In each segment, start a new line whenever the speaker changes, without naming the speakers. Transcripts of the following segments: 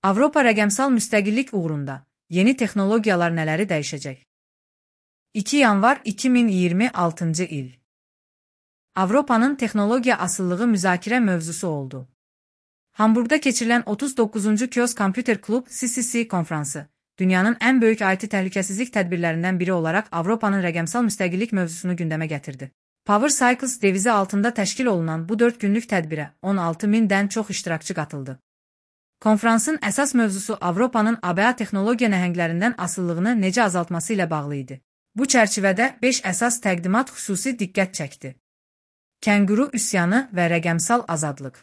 Avropa rəqəmsal müstəqillik uğrunda yeni texnologiyalar nələri dəyişəcək? 2 yanvar 2026-cı il. Avropanın texnologiya asılılığı müzakirə mövzusu oldu. Hamburqda keçirilən 39-cu Kiosk Computer Club CCC konfransı, dünyanın ən böyük IT təhlükəsizlik tədbirlərindən biri olaraq Avropanın rəqəmsal müstəqillik mövzusunu gündəmə gətirdi. Power Cycles devizi altında təşkil olunan bu 4 günlük tədbirə 16.000-dən çox iştirakçı qatıldı. Konfransın əsas mövzusu Avropanın ABA texnologiya nəhənglərindən asıllığını necə azaltması ilə bağlı idi. Bu çərçivədə 5 əsas təqdimat xüsusi diqqət çəkdi. Kənguru üsyanı və rəqəmsal azadlıq.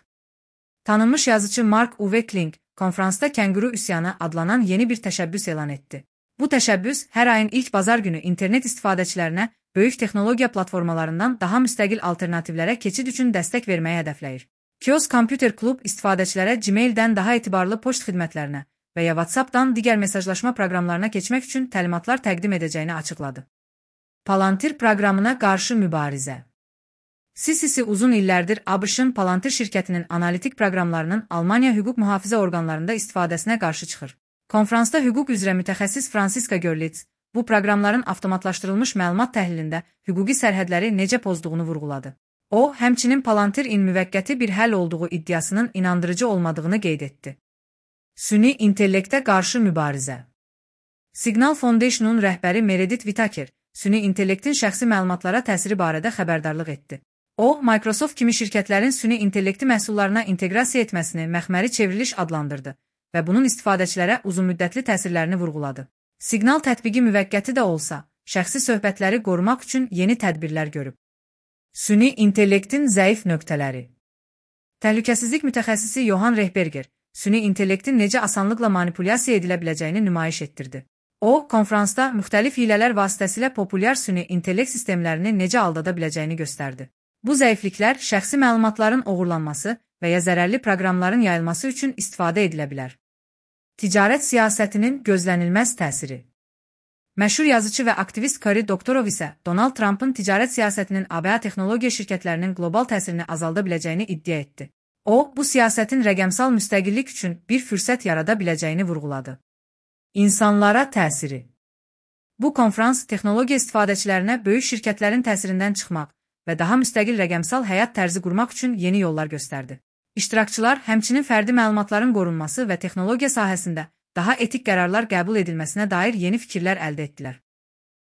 Tanınmış yazıcı Mark Uwe Kling, konfransda Kənguru üsyanı adlanan yeni bir təşəbbüs elan etdi. Bu təşəbbüs hər ayın ilk bazar günü internet istifadəçilərinə böyük texnologiya platformalarından daha müstəqil alternativlərə keçid üçün dəstək verməyi hədəfləyir. Kiosk Computer Club istifadəçilərə Gmail-dən daha etibarlı poçt xidmətlərinə və ya WhatsApp-dan digər mesajlaşma proqramlarına keçmək üçün təlimatlar təqdim edəcəyini açıqladı. Palantir proqramına qarşı mübarizə. CCC uzun illərdir ABŞ-ın Palantir şirkətinin analitik proqramlarının Almaniya hüquq mühafizə orqanlarında istifadəsinə qarşı çıxır. Konfransda hüquq üzrə mütəxəssis Franziska Görlitz, bu proqramların avtomatlaşdırılmış məlumat təhlilində hüquqi sərhədləri necə pozduğunu vurğuladı. O, həmçinin Palantir-in müvəqqəti bir həll olduğu iddiasının inandırıcı olmadığını qeyd etdi. Süni intellektə qarşı mübarizə. Signal Foundation-un rəhbəri Meredith Whittaker, süni intellektin şəxsi məlumatlara təsiri barədə xəbərdarlıq etdi. O, Microsoft kimi şirkətlərin süni intellekti məhsullarına inteqrasiya etməsini məxməri çevriliş adlandırdı və bunun istifadəçilərə uzunmüddətli təsirlərini vurğuladı. Signal tətbiqi müvəqqəti də olsa, şəxsi söhbətləri qorumaq üçün yeni tədbirlər görüb. Süni intellektin zəif nöqtələri. Təhlükəsizlik mütəxəssisi Johan Rehberger, süni intellektin necə asanlıqla manipulyasiya edilə biləcəyini nümayiş etdirdi. O, konfransda müxtəlif hilələr vasitəsilə populyar süni intellekt sistemlərini necə aldada biləcəyini göstərdi. Bu zəifliklər şəxsi məlumatların oğurlanması və ya zərərli proqramların yayılması üçün istifadə edilə bilər. Ticarət siyasətinin gözlənilməz təsiri. Məşhur yazıcı və aktivist Cory Doctorow isə Donald Trump'ın ticarət siyasətinin ABA texnologiya şirkətlərinin qlobal təsirini azalda biləcəyini iddia etdi. O, bu siyasətin rəqəmsal müstəqillik üçün bir fürsət yarada biləcəyini vurğuladı. İnsanlara təsiri. Bu konfrans texnologiya istifadəçilərinə böyük şirkətlərin təsirindən çıxmaq və daha müstəqil rəqəmsal həyat tərzi qurmaq üçün yeni yollar göstərdi. İştirakçılar həmçinin fərdi məlumatların qorunması və texnologiya sahəsində daha etik qərarlar qəbul edilməsinə dair yeni fikirlər əldə etdilər.